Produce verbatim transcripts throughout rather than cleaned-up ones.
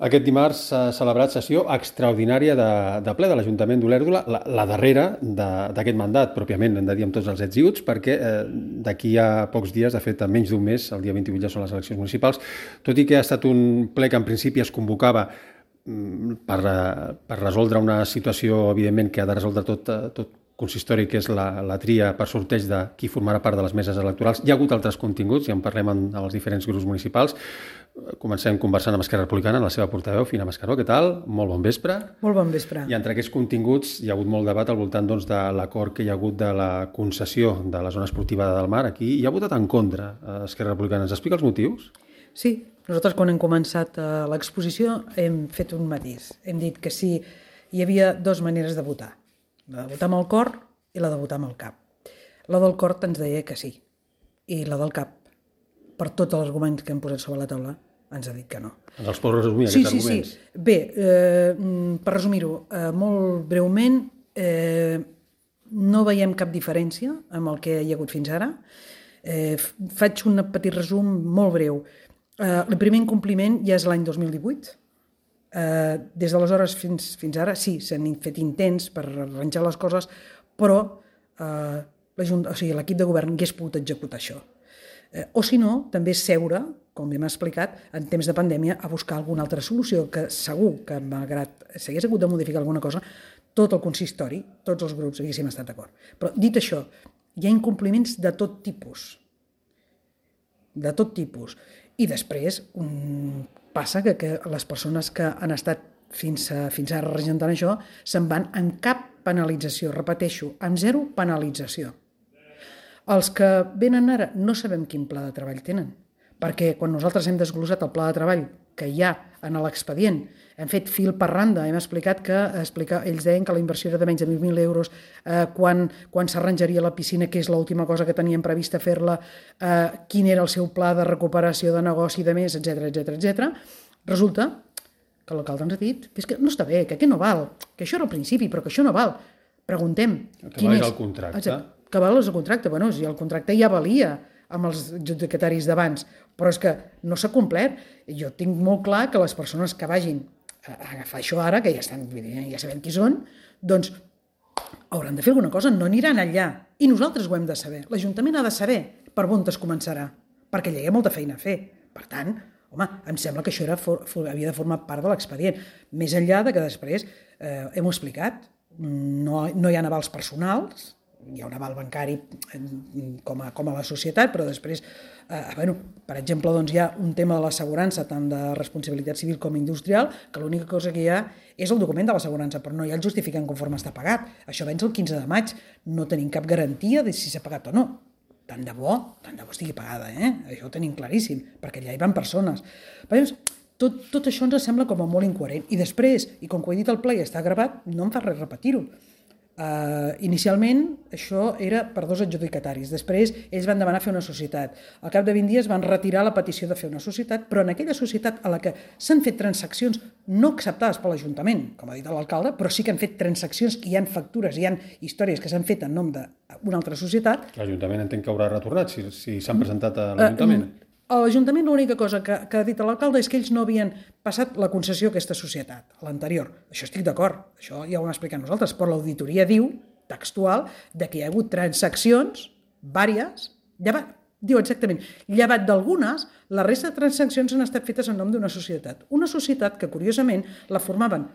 Aquest dimarts s'ha celebrat sessió extraordinària de, de ple de l'Ajuntament d'Olèrdola, la, la darrera d'aquest mandat, pròpiament, hem de dir amb tots els ets i uts, perquè eh, d'aquí a pocs dies, de fet, a menys d'un mes, el dia vint-i-vuit ja són les eleccions municipals, tot i que ha estat un ple que en principi es convocava per, per resoldre una situació, evidentment, que ha de resoldre tot, tot consistori, que és la, la tria per sorteig de qui formarà part de les meses electorals. Hi ha hagut altres continguts, ja en parlem en, en els diferents grups municipals. Comencem conversant amb Esquerra Republicana, amb la seva portaveu, Fina Mascaró. Què tal? Molt bon vespre. Molt bon vespre. I entre aquests continguts hi ha hagut molt debat al voltant doncs, de l'acord que hi ha hagut de la concessió de la zona esportiva del Mar. Aquí hi ha votat en contra Esquerra Republicana. Ens explica els motius? Sí, nosaltres quan hem començat l'exposició hem fet un matís. Hem dit que sí, hi havia dues maneres de votar. La de votar amb el cor i la de votar amb el cap. La del cor ens deia que sí. I la del cap, per tots els arguments que hem posat sobre la taula, ens ha dit que no. Ens els pots resumir, sí, aquests sí, arguments? Sí, sí. Bé, eh, per resumir-ho, eh, molt breument, eh, no veiem cap diferència amb el que hi ha hagut fins ara. Eh, faig un petit resum molt breu. Eh, el primer incompliment ja és l'any dos mil divuit. Uh, des d'aleshores fins, fins ara sí, s'han fet intents per arranjar les coses, però uh, o sigui, l'equip de govern hagués pogut executar això. Uh, o si no, també seure, com hem explicat, en temps de pandèmia, a buscar alguna altra solució, que segur que malgrat s'hagués hagut de modificar alguna cosa, tot el consistori, tots els grups haguéssim estat d'acord. Però dit això, hi ha incompliments de tot tipus. De tot tipus. I després, un... passa que, que les persones que han estat fins, a, fins ara regentant això se'n van amb cap penalització, repeteixo, amb zero penalització. Els que venen ara no sabem quin pla de treball tenen, perquè quan nosaltres hem desglossat el pla de treball que hi ha en l'expedient, hem fet fil per randa, hem explicat que explica, ells deien que la inversió era de menys de mil mil euros, eh, quan, quan s'arranjaria la piscina, que és l'última cosa que tenien prevista fer-la, eh, quin era el seu pla de recuperació de negoci i de més, etcètera, etcètera, etcètera. Resulta que l'alcalde ens ha dit que, és que no està bé, que aquest no val, que això era al principi, però que això no val. Preguntem. Que val és el contracte. Exacte, que val és el contracte. Bueno, si el contracte ja valia amb els adjudicataris d'abans, però és que no s'ha complert. Jo tinc molt clar que les persones que vagin a agafar això ara, que ja, estan, ja sabem qui són, doncs hauran de fer alguna cosa, no aniran allà. I nosaltres ho hem de saber. L'Ajuntament ha de saber per on es començarà, perquè allà hi ha molta feina a fer. Per tant, home, em sembla que això era, havia de formar part de l'expedient. Més enllà de que després, eh, hem explicat, no, no hi ha avals personals, hi ha un aval bancari com a, com a la societat, però després, eh, bueno, per exemple, doncs hi ha un tema de l'assegurança, tant de responsabilitat civil com industrial, que l'única cosa que hi ha és el document de l'assegurança, però no hi ha el justificant conforme està pagat. Això venç el quinze de maig, no tenim cap garantia de si s'ha pagat o no. Tant de bo, tant de bo estigui pagada, eh? Això ho tenim claríssim, perquè allà hi van persones. Però, tot, tot això ens sembla com a molt incoherent. I després, i com que ho he dit al ple i està gravat, no em fa res repetir-ho. Uh, inicialment això era per dos adjudicataris, després ells van demanar fer una societat, al cap de vint dies van retirar la petició de fer una societat, però en aquella societat a la que s'han fet transaccions no acceptades per l'Ajuntament, com ha dit l'alcalde, però sí que han fet transaccions i hi ha factures, hi ha històries que s'han fet en nom d'una altra societat. L'Ajuntament entenc que haurà retornat si, si s'han presentat a l'Ajuntament. Uh, A l'Ajuntament l'única cosa que, que ha dit l'alcalde és que ells no havien passat la concessió a aquesta societat, a l'anterior. Això estic d'acord, això ja ho hem explicat nosaltres, però l'auditoria diu, textual, de que hi ha hagut transaccions, vàries, llevat, diu exactament, llevat d'algunes, la resta de transaccions han estat fetes en nom d'una societat. Una societat que, curiosament, la formaven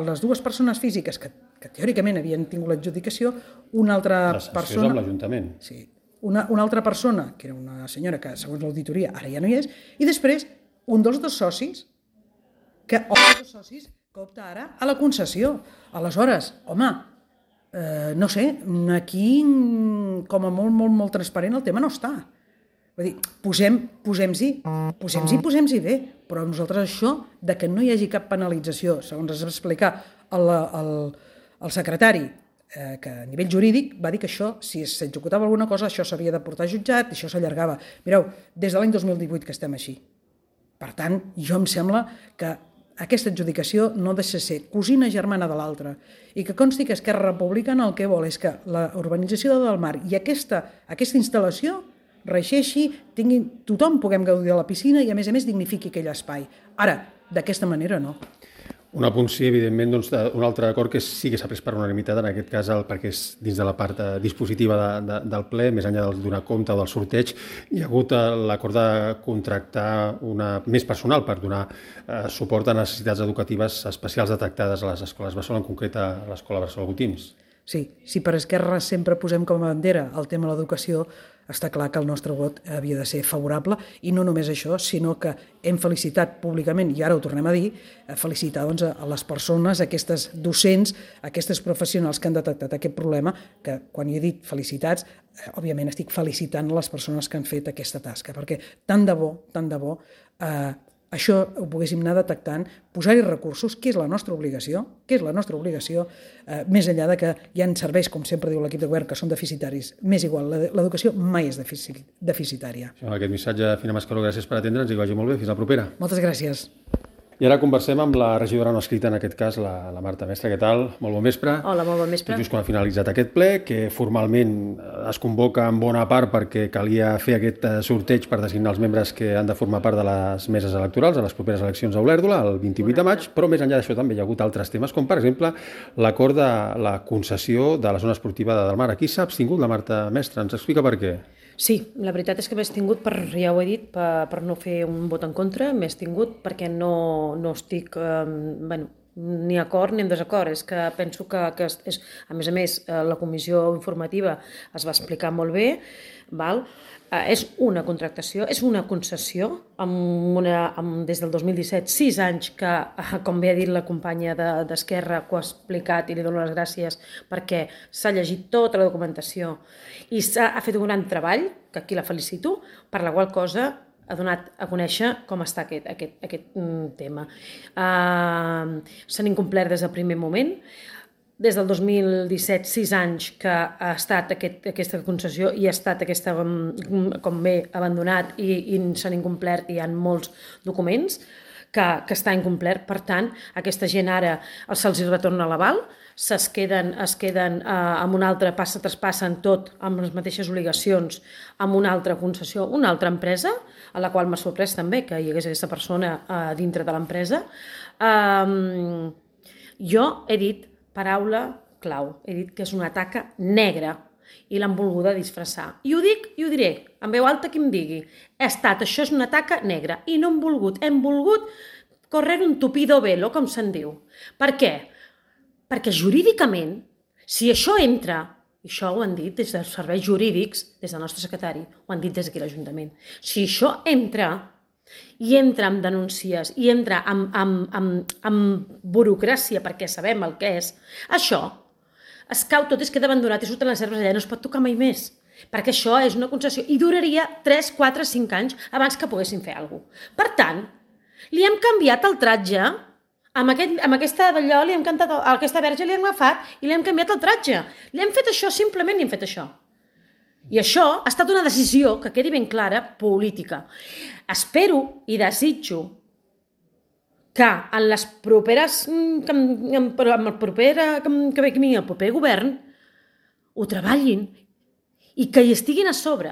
les dues persones físiques que, que teòricament havien tingut l'adjudicació, una altra les persona... amb l'Ajuntament. Sí. Una, una altra persona, que era una senyora que, segons l'auditoria, ara ja no hi és, i després un dels dos socis, que opta dos socis que opta ara a la concessió. Aleshores, home, eh, no sé, aquí com a molt, molt, molt transparent el tema no està. Vull dir, posem, posem-s'hi, posem-s'hi, posem-s'hi bé, però nosaltres això, de que no hi hagi cap penalització, segons es va explicar el, el, el secretari, Eh, que a nivell jurídic va dir que això, si s'executava alguna cosa, això s'havia de portar a jutjat, això s'allargava. Mireu, des de l'any dos mil divuit que estem així. Per tant, jo em sembla que aquesta adjudicació no deixa de ser cosina germana de l'altra i que consti que Esquerra Republicana el que vol és que la urbanització del Mar i aquesta, aquesta instal·lació reixeixi, tinguin, tothom puguem gaudir de la piscina i a més a més dignifiqui aquell espai. Ara, d'aquesta manera no. Un apunt, sí, evidentment, doncs, un altre acord que sí que s'ha pres per unanimitat, en aquest cas el, perquè és dins de la part eh, dispositiva de, de, del ple, més enllà del donar compte o del sorteig, hi ha hagut eh, l'acord de contractar una, més personal per donar eh, suport a necessitats educatives especials detectades a les escoles Bressol, en concret a l'escola Bressol Botins. Sí, si per Esquerra sempre posem com a bandera el tema de l'educació, està clar que el nostre vot havia de ser favorable, i no només això, sinó que hem felicitat públicament, i ara ho tornem a dir, felicitar doncs, a les persones, a aquestes docents, a aquestes professionals que han detectat aquest problema, que quan hi he dit felicitats, òbviament estic felicitant les persones que han fet aquesta tasca, perquè tant de bo, tant de bo, eh, això ho poguéssim anar detectant, posar-hi recursos, que és la nostra obligació, que és la nostra obligació, eh, més enllà de que hi ha serveis, com sempre diu l'equip de govern, que són deficitaris. M'és igual, l'educació mai és deficitària. Amb aquest missatge, Fina Mascaró, gràcies per atendre'ns i que vagi molt bé. Fins la propera. Moltes gràcies. I ara conversem amb la regidora no escrita, en aquest cas, la, la Marta Mestre. Què tal? Molt bon vespre. Hola, molt bon vespre. Tot just quan ha finalitzat aquest ple, que formalment es convoca en bona part perquè calia fer aquest sorteig per designar els membres que han de formar part de les meses electorals a les properes eleccions a Olèrdola, el vint-i-vuit de maig, però més enllà d'això també hi ha hagut altres temes, com per exemple l'acord de la concessió de la zona esportiva de Delmar. Aquí s'ha abstingut la Marta Mestre. Ens explica per què? Sí, la veritat és que m'he tingut, per, ja ho he dit, per, per no fer un vot en contra, m'he tingut perquè no, no estic, eh, bueno, ni acord ni en desacord. És que penso que, que és, a més a més, la comissió informativa es va explicar molt bé, val? Eh, és una contractació, és una concessió, amb una, amb, des del dos mil disset, sis anys que, com bé ha dit la companya d'Esquerra, que ho ha explicat i li dono les gràcies perquè s'ha llegit tota la documentació i s'ha ha fet un gran treball, que aquí la felicito, per la qual cosa ha donat a conèixer com està aquest, aquest, aquest tema. Uh, S'han incomplert des del primer moment. Des del dos mil disset, sis anys que ha estat aquest, aquesta concessió i ha estat aquesta, com bé, abandonat i, i s'han incomplert i hi ha molts documents que, que està incomplert. Per tant, aquesta gent ara se'ls retorna l'aval, es queden, es queden eh, amb una altra, passa, traspassen tot amb les mateixes obligacions amb una altra concessió, una altra empresa, a la qual m'ha sorprès també que hi hagués aquesta persona eh, dintre de l'empresa. Um, jo he dit paraula clau. He dit que és una taca negra i l'han volguda disfressar. I ho dic i ho diré, en veu alta qui em digui. Ha estat, això és una taca negra i no hem volgut, hem volgut correr un tupido velo, com se'n diu. Per què? Perquè jurídicament, si això entra, i això ho han dit des dels serveis jurídics, des del nostre secretari, ho han dit des d'aquí l'Ajuntament, si això entra i entra amb denúncies i entra amb, amb, amb, amb burocràcia perquè sabem el que és, això es cau tot, es queda abandonat i surten les herbes allà, no es pot tocar mai més, perquè això és una concessió i duraria tres, quatre, cinc anys abans que poguessin fer alguna cosa. Per tant, li hem canviat el tratge, amb, aquest, amb aquesta d'allò, li hem cantat, aquesta verge li hem agafat i li hem canviat el tratge. Li hem fet això, simplement li hem fet això. I això ha estat una decisió, que quedi ben clara, política. Espero i desitjo que en les properes, que en el proper, que ve el proper govern ho treballin i que hi estiguin a sobre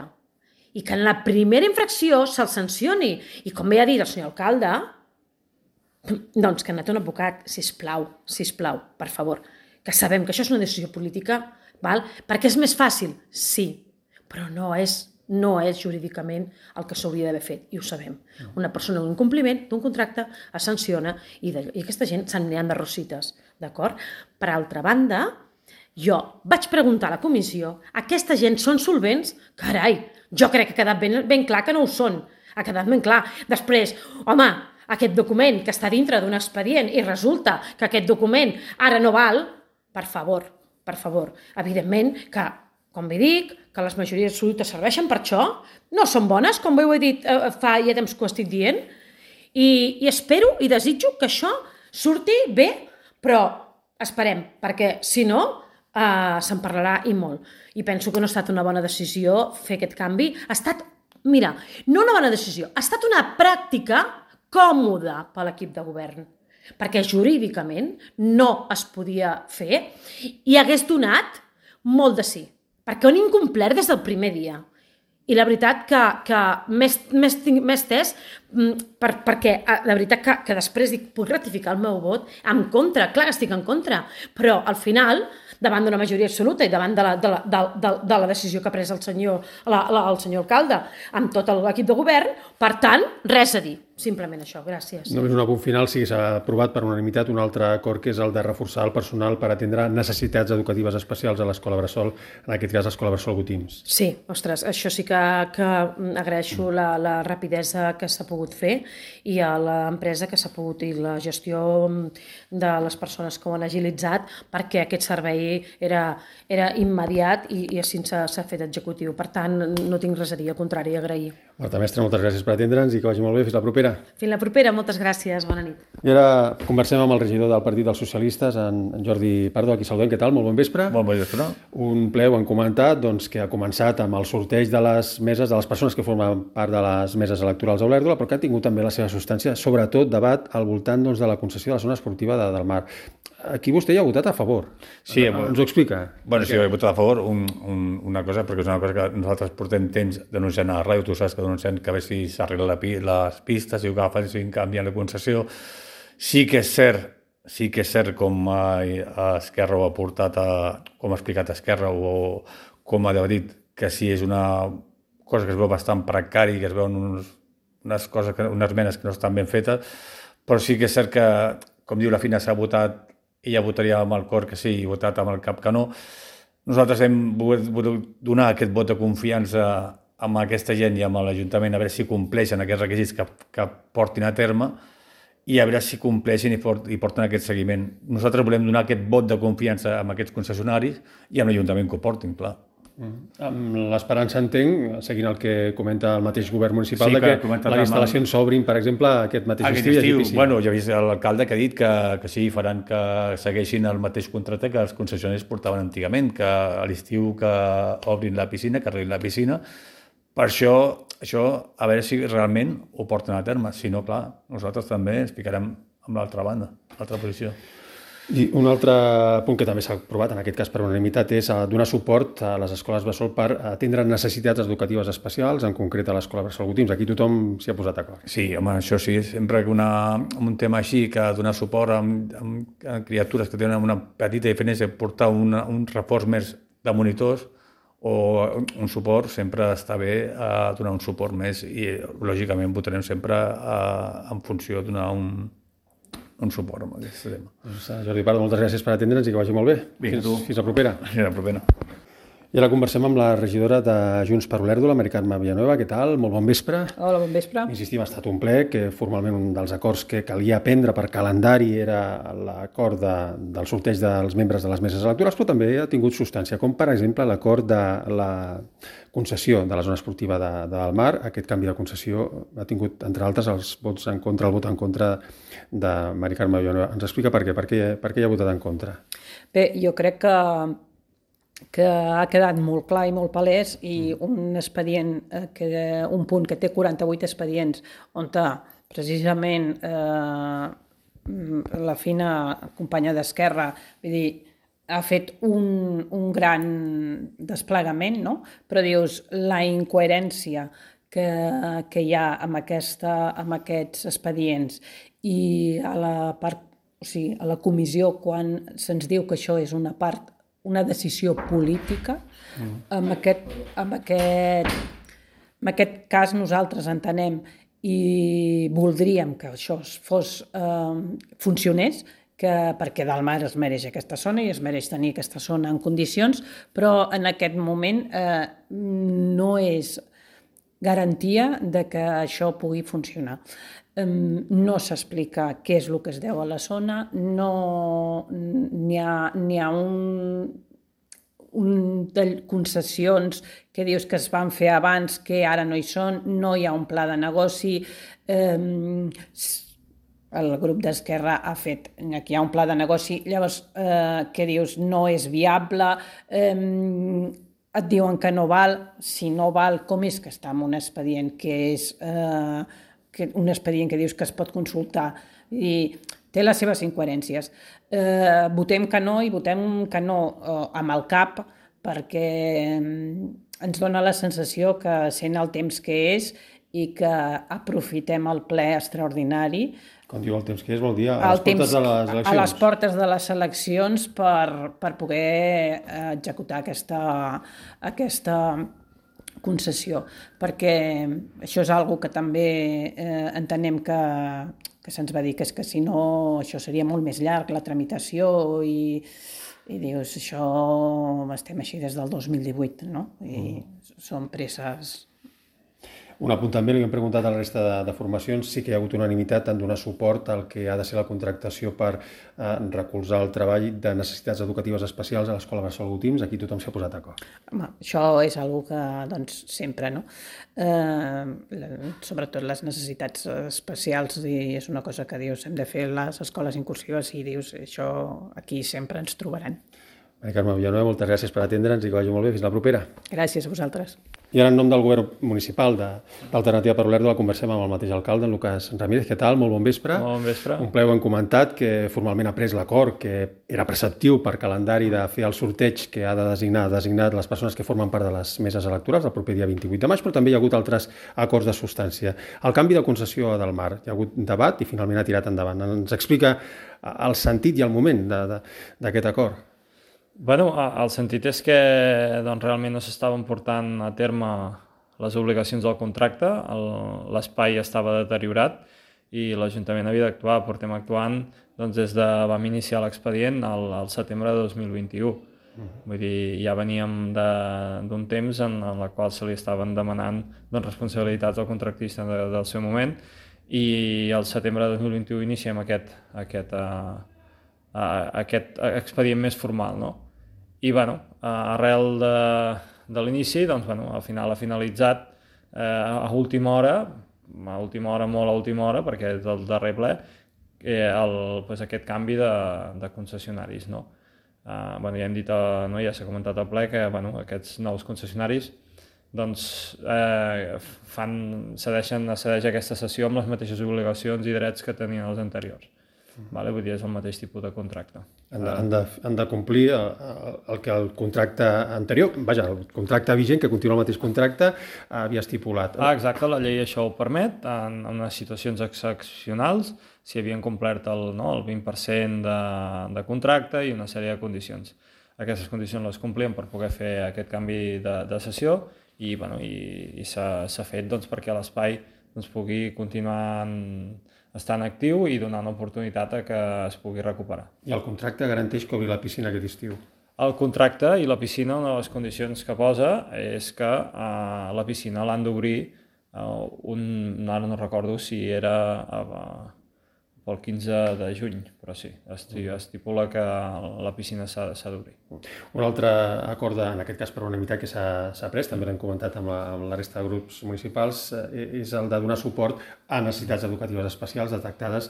i que en la primera infracció se'ls sancioni. I com bé ha dit el senyor alcalde, doncs que anat un advocat, sisplau, sisplau, per favor, que sabem que això és una decisió política, val? Perquè és més fàcil, sí, però no és, no és jurídicament el que s'hauria d'haver fet, i ho sabem. Una persona en un incompliment d'un contracte es sanciona i, de, i aquesta gent se'n n'hi han de rosites, d'acord? Per altra banda, jo vaig preguntar a la comissió, aquesta gent són solvents? Carai, jo crec que ha quedat ben, ben clar que no ho són, ha quedat ben clar. Després, home, aquest document que està dintre d'un expedient i resulta que aquest document ara no val, per favor, per favor, evidentment que, com bé dic, que les majories absolutes serveixen per això, no són bones, com bé ho he dit eh, fa ja temps que ho estic dient, i, i espero i desitjo que això surti bé, però esperem, perquè si no eh, se'n parlarà i molt. I penso que no ha estat una bona decisió fer aquest canvi. Ha estat, mira, no una bona decisió, ha estat una pràctica còmoda per l'equip de govern, perquè jurídicament no es podia fer i hagués donat molt de sí, perquè ho han incomplert des del primer dia. I la veritat que, que m'he estès per, perquè de veritat que, que després dic, puc ratificar el meu vot en contra, clar que estic en contra, però al final, davant d'una majoria absoluta i davant de la, de la, de, de, de la decisió que ha pres el senyor, la, la, el senyor alcalde amb tot l'equip de govern, per tant, res a dir. Simplement això, gràcies. Només un apunt final, sí que s'ha aprovat per unanimitat un altre acord que és el de reforçar el personal per atendre necessitats educatives especials a l'Escola Bressol, en aquest cas l'Escola Bressol Gotims. Sí, ostres, això sí que, que agraeixo la, la rapidesa que s'ha pogut fer i a l'empresa que s'ha pogut i la gestió de les persones que ho han agilitzat perquè aquest servei era, era immediat i, i així s'ha fet executiu. Per tant, no tinc res a dir, al contrari, agrair. Marta Mestre, moltes gràcies per atendre'ns i que vagi molt bé. Fins la propera. Fins la propera, moltes gràcies, bona nit. I ara conversem amb el regidor del Partit dels Socialistes, en Jordi Pardo, aquí saludem. Què tal? Molt bon vespre. Molt bon vespre. Un ple, ho han comentat, doncs, que ha començat amb el sorteig de les meses, de les persones que formen part de les meses electorals a Olèrdola, però que ha tingut també la seva substància, sobretot debat al voltant doncs, de la concessió de la zona esportiva de, del Mar. Aquí vostè hi ha votat a favor. Sí, ens ho explica. Bueno, sí, he votat a favor un, un, una cosa, perquè és una cosa que nosaltres portem temps denunciant a la ràdio, tu saps que denunciant que a veure si s'arreglen la, les pistes, si ho agafen, si canvien la concessió. Sí que és cert, sí que és cert com a Esquerra ho ha portat, a, com ha explicat Esquerra o com ha dit, que sí és una cosa que es veu bastant precari, que es veuen uns, unes, coses que, unes menes que no estan ben fetes, però sí que és cert que, com diu la Fina, s'ha votat i ja votaria amb el cor que sí i votat amb el cap que no. Nosaltres hem volgut donar aquest vot de confiança amb aquesta gent i amb l'Ajuntament a veure si compleixen aquests requisits que, que portin a terme i a veure si compleixen i, port, i porten aquest seguiment. Nosaltres volem donar aquest vot de confiança amb aquests concessionaris i amb l'Ajuntament que ho portin, clar. Mm. Amb l'esperança, entenc, seguint el que comenta el mateix govern municipal, sí, de que, que les instal·lacions s'obrin, per exemple, aquest mateix aquest estiu. estiu bueno, ja he vist l'alcalde que ha dit que, que sí, faran que segueixin el mateix contracte que els concessionaris portaven antigament, que a l'estiu que obrin la piscina, que arreglin la piscina. Per això, això, a veure si realment ho porten a terme. Si no, clar, nosaltres també ens ficarem amb l'altra banda, l'altra posició. I un altre punt que també s'ha aprovat, en aquest cas per unanimitat, és donar suport a les escoles Bressol per atendre necessitats educatives especials, en concret a l'Escola Bressol Gotims. Aquí tothom s'hi ha posat d'acord. Sí, home, això sí, sempre que una, un tema així, que donar suport a, a criatures que tenen una petita diferència, portar una, un reforç més de monitors o un suport, sempre està bé a donar un suport més i, lògicament, votarem sempre a, en funció de donar un un suport amb aquest tema. Doncs, Jordi Pardo, moltes gràcies per atendre'ns i que vagi molt bé. Vinga, fins, tu. Fins la propera. Fins la propera. I ara conversem amb la regidora de Junts per Olèrdola, Mari Carme Villanueva. Què tal? Molt bon vespre. Hola, bon vespre. Insistim, ha estat un ple que formalment un dels acords que calia prendre per calendari era l'acord de, del sorteig dels membres de les meses electorals, però també ha tingut substància, com per exemple l'acord de la concessió de la zona esportiva de, de del Mar. Aquest canvi de concessió ha tingut, entre altres, els vots en contra, el vot en contra de Mari Carme Villanueva. Ens explica per què, per què, per què hi ha votat en contra? Bé, jo crec que que ha quedat molt clar i molt palès i un expedient, que, un punt que té quaranta-vuit expedients on precisament eh, la Fina companya d'Esquerra, vull dir, ha fet un, un gran desplegament, no? Però dius, la incoherència que, que hi ha amb, aquesta, amb aquests expedients i a la, part, o sigui, a la comissió quan se'ns diu que això és una part una decisió política, mm. amb, aquest, amb, aquest, amb aquest cas nosaltres entenem i voldríem que això fos, eh, funcionés, que, perquè del Mar es mereix aquesta zona i es mereix tenir aquesta zona en condicions, però en aquest moment eh, no és garantia de que això pugui funcionar. No s'explica què és el que es deu a la zona, no n'hi ha, n'hi ha un, un de concessions que dius que es van fer abans que ara no hi són, no hi ha un pla de negoci, eh, el grup d'Esquerra ha fet, aquí hi ha un pla de negoci, llavors eh, que dius no és viable, eh, et diuen que no val, si no val, com és que està en un expedient que és... Eh, que un expedient que dius que es pot consultar i té les seves incoherències. Eh, votem que no i votem que no eh, amb el cap perquè ens dona la sensació que sent el temps que és i que aprofitem el ple extraordinari Com diu el temps que és, vol dir a les el temps, portes de les eleccions. a les portes de les eleccions per, per poder executar aquesta, aquesta concessió, perquè això és algo que també eh, entenem que, que se'ns va dir que és que si no això seria molt més llarg, la tramitació, i, i dius, això estem així des del dos mil divuit, no? I mm. són presses. Un apunt també, li hem preguntat a la resta de, de formacions, sí que hi ha hagut unanimitat en donar suport al que ha de ser la contractació per eh, recolzar el treball de necessitats educatives especials a l'Escola Bressol Gotims. Aquí tothom s'ha posat d'acord. Home, això és una que, doncs, sempre, no? Eh, sobretot les necessitats especials, i és una cosa que dius, hem de fer les escoles inclusives, i dius, això aquí sempre ens trobaran. Maria Carme Villanueva, moltes gràcies per atendre'ns i que vagi molt bé. Fins la propera. Gràcies a vosaltres. I ara, en nom del govern municipal d'Alternativa per Olèrdola, conversem amb el mateix alcalde, en Lucas Ramírez. Què tal? Molt bon vespre. Molt bon vespre. Un ple ho hem comentat, que formalment ha pres l'acord, que era preceptiu per calendari de fer el sorteig que ha de designar, designat les persones que formen part de les meses electorals el proper dia vint-i-vuit de maig, però també hi ha hagut altres acords de substància. El canvi de concessió a Del Mar, hi ha hagut debat i finalment ha tirat endavant. Ens explica el sentit i el moment d'aquest acord. Bueno, el sentit és que doncs, realment no s'estaven portant a terme les obligacions del contracte, l'espai estava deteriorat i l'Ajuntament havia d'actuar. Portem actuant doncs, des de vam iniciar l'expedient al, al setembre de dos mil vint-i-u. Uh-huh. Vull dir, ja veníem d'un temps en, en la qual se li estaven demanant doncs, responsabilitats al contractista de, del seu moment, i al setembre de dos mil vint-i-u iniciem aquest, aquest, uh, uh, aquest expedient més formal, no? I bueno, arrel de, de l'inici, doncs, bueno, al final ha finalitzat eh, a última hora, a última hora, molt a última hora, perquè és del darrer ple, eh, el, pues, aquest canvi de, de concessionaris. No? Eh, bueno, ja hem dit, eh, no, ja s'ha comentat al ple, que bueno, aquests nous concessionaris doncs, eh, fan, cedeixen, cedeix aquesta sessió amb les mateixes obligacions i drets que tenien els anteriors. Vale? Vull dir, és el mateix tipus de contracte. Han de, han de, han de complir el, el que el contracte anterior, vaja, el contracte vigent, que continua el mateix contracte, havia estipulat. Ah, exacte, la llei això ho permet, en, en unes situacions excepcionals, si havien complert el, no, el vint per cent de, de contracte i una sèrie de condicions. Aquestes condicions les complien per poder fer aquest canvi de, de sessió i, bueno, i, i s'ha fet doncs, perquè l'espai doncs, pugui continuar en, estant actiu i donant oportunitat a que es pugui recuperar. I el contracte garanteix que obri la piscina aquest estiu? El contracte i la piscina, una de les condicions que posa és que uh, la piscina l'han d'obrir, uh, un, ara no recordo si era uh, pel quinze de juny, però sí, estipula que la piscina s'ha d'obrir. Un altre acord, en aquest cas per unanimitat, que s'ha pres, també l'hem comentat amb la, amb la resta de grups municipals, és el de donar suport a necessitats educatives especials detectades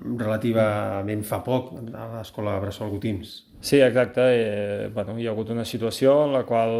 relativament fa poc a l'Escola Bressol Gotims. Sí, exacte. Eh, bueno, hi ha hagut una situació en la qual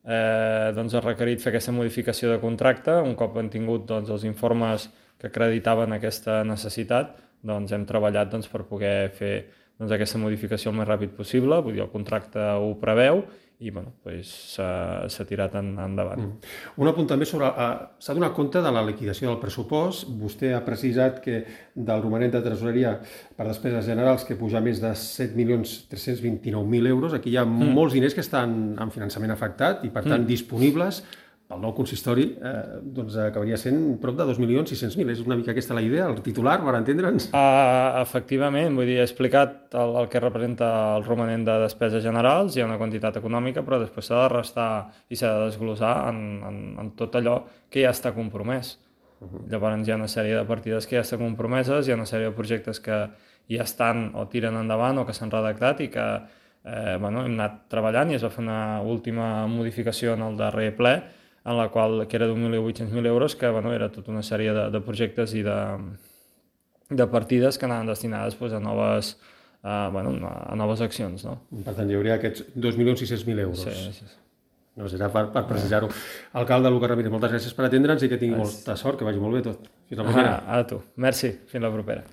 eh, doncs ha requerit fer aquesta modificació de contracte. Un cop han tingut doncs, els informes que acreditaven aquesta necessitat, doncs hem treballat doncs, per poder fer doncs, aquesta modificació el més ràpid possible. Vull dir, el contracte ho preveu i bueno, doncs, s'ha tirat en, endavant. Mm. Un apunt també sobre... Uh, s'ha donat compte de la liquidació del pressupost. Vostè ha precisat que del romanent de tresoreria per despeses generals que puja més de set milions tres-cents vint-i-nou mil euros. Aquí hi ha mm. molts diners que estan en finançament afectat i per tant mm. disponibles pel nou consistori, eh, doncs acabaria sent prop de dos milions sis-cents mil. És una mica aquesta la idea, el titular, per entendre'ns? Uh, efectivament, vull dir, he explicat el, el que representa el romanent de despeses generals, hi ha una quantitat econòmica, però després s'ha de restar i s'ha de desglossar en, en, en tot allò que ja està compromès. Uh-huh. Llavors hi ha una sèrie de partides que ja estan compromeses, hi ha una sèrie de projectes que ja estan o tiren endavant o que s'han redactat i que eh, bueno, hem anat treballant i es va fer una última modificació en el darrer ple, en la qual, que era d'un milió vuit-cents mil euros, que bueno, era tota una sèrie de, de projectes i de, de partides que anaven destinades pues, a, noves, uh, bueno, a noves accions. No? Per tant, hi hauria aquests dos milions sis-cents mil euros. Sí, sí, sí. No, serà per, per precisar-ho. Alcalde Lucas Ramírez, moltes gràcies per atendre'ns i que tingui molta sort, que vagi molt bé tot. Fins la propera. Ah, a tu. Merci. Fins la propera.